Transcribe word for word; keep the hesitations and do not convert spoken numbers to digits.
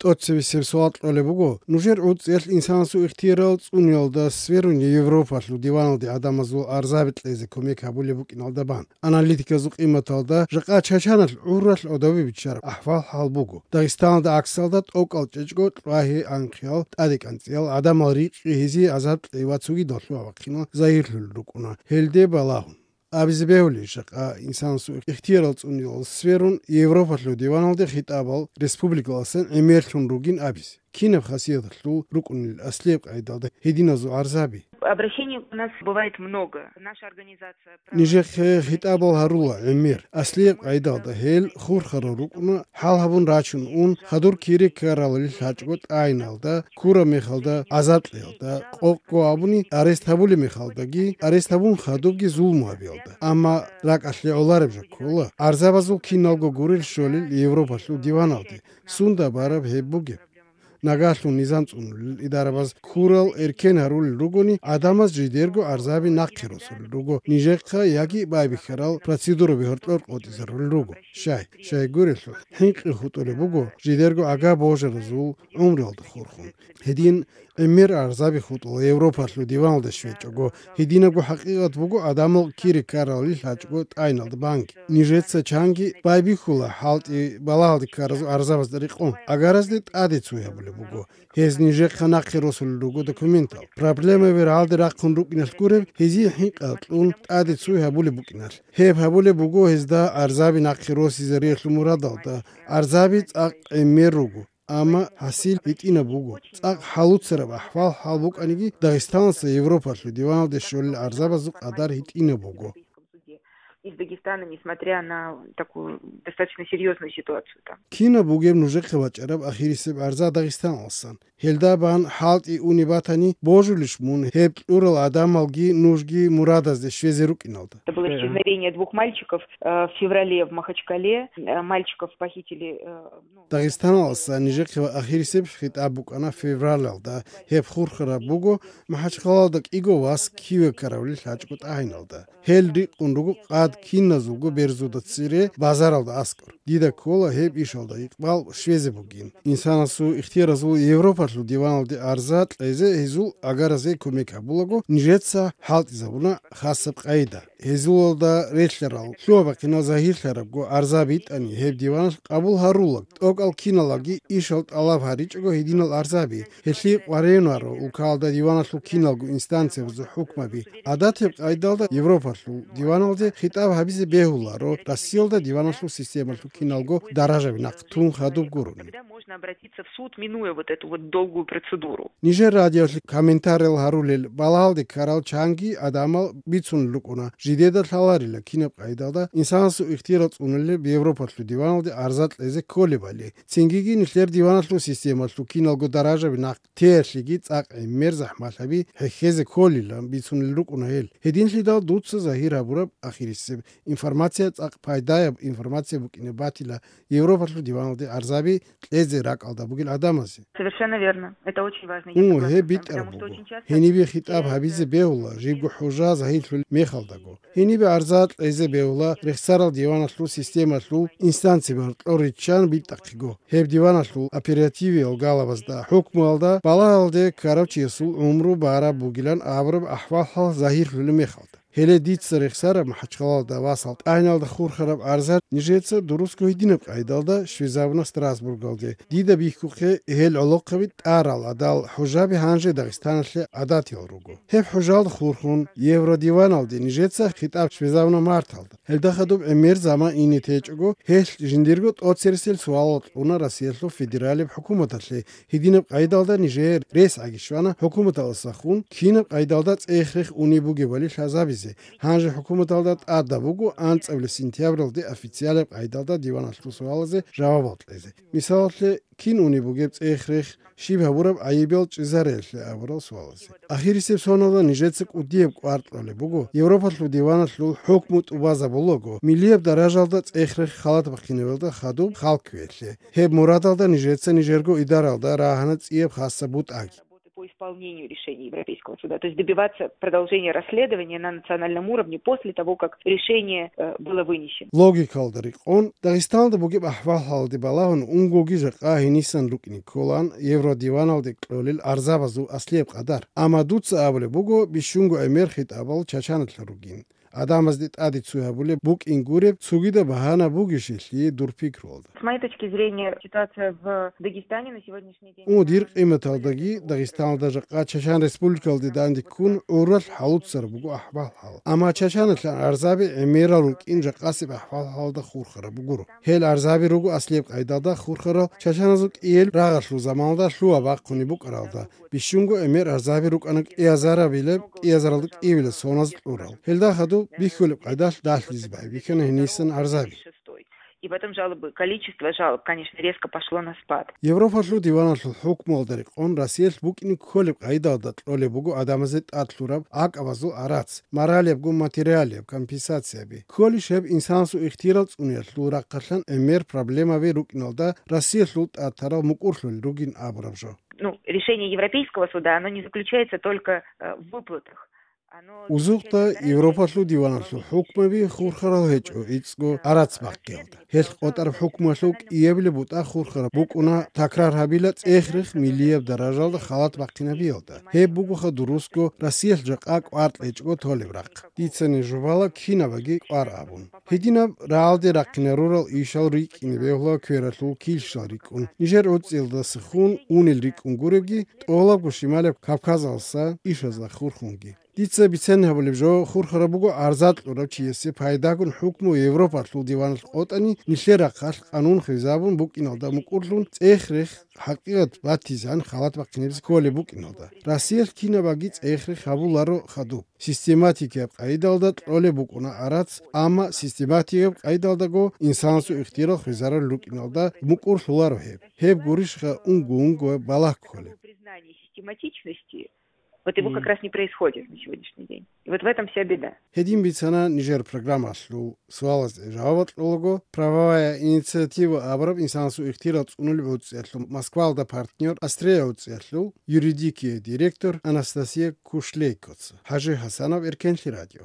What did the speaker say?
ТӀоцебесеб суал кьолеб буго, нужер гӀуцӀиялъ инсанасул ихтиярал цӀуниялда сверун Европалъул диваналде гӀадамазул арзаби кьезе кумек гьабулеб букӀиналда бан. Аналитиказул къиматалда жакъа Чачаналъ гӀуралъ гӀодобе биччараб ахӀвал-хӀал буго. Дагъистаналда гӀаксалда тӀокӀал чӀечӀго кьвагьи-анхъиял, тӀаде-кӀанцӀиял, гӀадамал рикъи гьезие азаб кьей ва цогидал лъугьа-бахъинал загьирлъулел рукӀуна гьелде балагьун. Абизе бегьулищ, жакъа инсанасул ихтиярал цӀуниялда сверун Европалъул диваналде хитӀабал республикаласан гӀемерлъун ругин абизе? Кинаб хасияталъул рукӀунел аслияб къайдалда гьединазул арзаби? Обращений у нас бывает много. Наша организация проводит Нижехъе хитӀабал гьарула гӀемер. Аслияб къайдалда гьел хурхарал рукӀуна, хӀал гьабун рачун ун, хадур кире ккаралли лъачӀого тӀагӀиналда, ккураб мехалда, азаблъиялда, къокъго абуни арест гьабулеб мехалдаги, арест гьабун хадубги зулму гьабиялда. Амма ракӀалъе гӀолареб жо ккола, арзабазул киналго гурел щолел Европалъул диваналде, сунда бараб гьеб бугеб. Нагагьлъун низам цӀунулел идарабаз ккурал эркен гьарулел ругони, гӀадамаз жидерго арзаби нахъе росулел руго, нижехъа яги байбихьарал процедураби гьоркьор къотӀизарулел руго. Щай, щай гурелъул, хӀинкъи хутӀулеб буго жидерго ага божаразул гӀумруялда хурхун. Гьедин гӀемер арзаби хутӀула Европалъул диваналде щвечӀого, гьединабго хӀакъикъат буго гӀадамал кире ккаралли лъачӀого тӀагӀиналда банги. Нижеца чанги байбихьула хӀалтӀи балагьалде ккаразул арзабазда рекъон. Агаразде тӀаде цуй гьабулеб буго. Гьез нижехъа нахъе росулел руго документал. Проблемаби рагӀалде рахъун рукӀиналъ гуреб, гьезие хӀинкъи кьун тӀаде цуй гьабулеб букӀиналъ. Гьеб гьабулеб буго гьезда арзаби нахъе росизариялъул мурадалда. Арзаби цӀакъ гӀемер руго, амма хӀасил гьитӀинаб буго. ЦӀакъ хӀалуцараб ахӀвал-хӀал букӀаниги, Дагъистаналъа Европалъул диваналде щолел арзабазул къадар гьитӀинаб буго. Из Дагестана, несмотря на такую достаточно серьёзную ситуацию там. Кинаб бугеб нужехъе бачӀараб ахирисеб арза Дагъистаналсан? Гьелда бан хӀалтӀи уни батани, божулищ мун гьеб кьурал гӀадамалги нужги мурадазде щвезе рукӀиналда? Это было исчезновение двух мальчиков, э, в феврале в Махачкале. Э, мальчиков похитили, э, ну, Дагъистаналаса нижехъе ва ахирисеб хитӀаб букӀана февралалда. Гьеб хурхараб буго, МахӀачхъалалда кӀиго вас киве ккаравли лъачӀго тӀагӀиналда. Гьел рикъун руго къад киназулго берзуда цере базаралда аскӀор. Дида ккола гьеб ишалда икъбал щвезе бугин. Инсанасул ихтияразул Европалъул диваналде арза кьезе гьезул агаразе кумек гьабулаго, нижеца хӀалтӀизабуна хасаб къайда. Гьезулалда релълъарал лъугьа-бахъинал загьирлъарабго арза битӀани, гьеб диваналъ къабул гьарулаг, тӀокӀал киналаги ишал тӀалаб гьаричӀого гьединал арзаби, гьелъие къваригӀунаро улкалда диваналъул киналго инстанциябазул хӀукмаби. ГӀадатаб къайдалда Европалъул диваналде хитӀаб гьабизе бегьуларо Россиялда диваналъул системалъул киналго даражаби нахъ тун хадуб гурони. Тогда можно обратиться в суд, минуя вот эту вот долгую процедуру. Нижер радиолъи комментариял гьарулел балагьалде ккарал чанги гӀадамал бицунел рукӀуна, жидеда лъаларила кинаб къайдалда инсанасул ихтияр цӀунулеб Европалъул диваналде арза кьезе кколебали. Цингиги нилъер диваналъул системалъул киналго даражаби нахъ теялъеги цӀакъ гӀемер захӀмалъаби хӀехьезе кколилан бицунел рукӀуна гьел. Гьединлъидал дуца загьир гьабураб ахирисеб информация цӀакъ пайдаяб информация букӀине батила Европалъул диваналде арзаби кьезе ракӀалда бугел гӀадамазе. Совершенно верно. Это очень важно. Я Гьу, согласна гьеб с вами, битӀараб потому что буго. Очень часто Гьенибе хитӀаб гьабизе бегьула, жибго хӀужа загьирлъулеб мехалдаго. Гьенибе арза кьезе бегьула рехсарал диваналъул системалъул инстанцияб гьоркьор риччан битӀахъего. Гьеб диваналъул оперативиял галабазда, хӀукмуялда балагьалде ккарав чиясул гӀумру бараб бугилан абураб ахӀвал-хӀал загьирлъулеб мехалда. Гьеле дица рехсараб МахӀачхъалалда васал тӀагӀиналда хурхараб арза нижеца дурусго гьединаб къайдалда щвезабуна Страсбургалде. Дида бихьухъе гьел гӀолохъаби тӀарал гӀадал хӀужаби гьанже Дагъистаналъе гӀадатиял руго. Гьеб хӀужалда хурхун, Евродиваналде нижеца хитӀаб щвезабуна марталда. Гьелда хадуб гӀемер заман ине течӀого, гьелъ жиндирго тӀоцересел суалал кьуна Россиялъул федералияб хӀукуматалъе, гьединаб къайдалда нижее рес гӀаги щвана хӀукуматаласахун, кинаб къайдалда цӀех-рех унеб бугебали лъазабизе. Гьанже хӀукуматалда тӀадаб буго анцӀабилеб сентябралде официалаб къайдалда диваналъул суалазе жавабал кьезе. Мисалалъе, кин унеб бугеб цӀех-рех, щиб гьабураб гӀайибал чӀезареялъе абурал суалазе. Ахирисеб соналда нижеца кӀудияб кӀвар кьолеб буго, Европалъул диваналъул хӀукму тӀубазабулаго, миллияб даражалда цӀех-рех халат бахъинабиялда хадуб хал кквеялъе. Гьеб мурадалда нижеца нижерго идаралда рагьана цӀияб хасаб бутӀаги. Выполнению решения Европейского суда, то есть добиваться продолжения расследования на национальном уровне после того, как решение э, было вынесено. Логикалда рекъон, Дагъистаналда бугеб ахӀвал-хӀалалде балагьун унгоги жакъа гьенисан рукӀине кколаан Евродиваналде кьолел арзабазул аслияб къадар. Амма дуца абулеб буго бищунго гӀемер хитӀабал Чачаналъа ругин. Адамазде тӀаде цой гьабулеб букӀин гуреб цогидаб багьана бугищелъи дур пикруялда. С моей точки зрения, ситуация в Дагестане на сегодняшний день... О, дир къиматалдаги Дагъистаналда жакъа Чачан республикалде данде ккун гӀурал хӀалуцараб буго ахӀвал-хӀал. Амма Чачаналъан арзаби гӀемерал рукӀин жакъасеб ахӀвал-хӀалалда хурхараб гуро. Гьел арзаби руго аслияб къайдалда хурхарал чачаназул кӀияб рагъалъул заманалда лъугьа-бахъунеб букӀаралда, бищунго гӀемер арзаби рукӀана кӀиазарабилеб, кӀиазаралда кӀиябилеб соназ кьурал. Гьелда хадуб бихьулеб къайдалъ далъизе байбихьана гьенисан арзаби. И потом жалобы, количество жалоб, конечно, резко пошло на спад. Европалъул диваналъул хӀукмуялда рекъон Россиялъ букӀине кколеб къайдалда кьолеб буго адамазе тӀад лъураб гӀакъабазул арац, моралиябго материалияб компенсацияби. Кколищ гьеб инсанасул ихтияр цӀуниялъул рахъалъан гӀемер проблемаби рукӀиналда Россиялъул тӀад тарал мукӀурлъулел ругин абураб жо. Ну, решение Европейского суда, оно не заключается только э, в выплатах. Узухъда Европалъул диваналъул хӀукмаби хурхарал гьечӀо гӀицӀго арац бахъиялда. Гьелъ къотӀараб хӀукмуялъул кӀиябилеб бутӀа хурхараб букӀуна такрар гьабила цӀех-рех миллияб даражалда халат бахъинабиялда. Гьеб бугоха дурусго Россиялъ жакъа кӀвар кьечӀого толеб рахъ. Дицани жубала кинабаги кӀвар абун. Гьединаб рагӀалде рахъинарурал ишал рикӀкӀине бегьула квералъул килщал рикӀкӀун, нижер гӀуцӀиялдасахун унел рикӀкӀун гуребги, тӀолабго Шималаб Кавказалса ишазда хурхунги. Дица бицен гьабулеб жо хурхараб буго арза кьурав чиясе пайдагун хӀукму Европалъул диваналъ къотӀани, нилъер рахъалъ къанун хвезабун букӀиналда мукӀурлъун цӀех-рех хӀакъикъат батизан халат бахъинабизе кколеб букӀиналда. Россиялъ кинабаги цӀех-рех гьабуларо хадуб. Систематикияб къайдалда кьолеб букӀуна арац, амма систематикияб къайдалдаго инсанасул ихтияр хвезарал рукӀиналда мукӀурлъуларо гьеб. Гьеб гурищха унго-унго балагь кколеб. Систематичности. Вот его как раз не происходит на сегодняшний день. И вот в этом вся беда. Гьедин бицана нижер программалъул суалазда жаваб кьолаго, «Правовая инициатива» абураб инсанасул ихтияр цӀунулеб гӀуцӀиялъул Москвалда партнер, Австрия гӀуцӀиялъул юридикия директор Анастасия Кушлейкоца. ХӀажи ХӀасанов, Эркенлъи радио.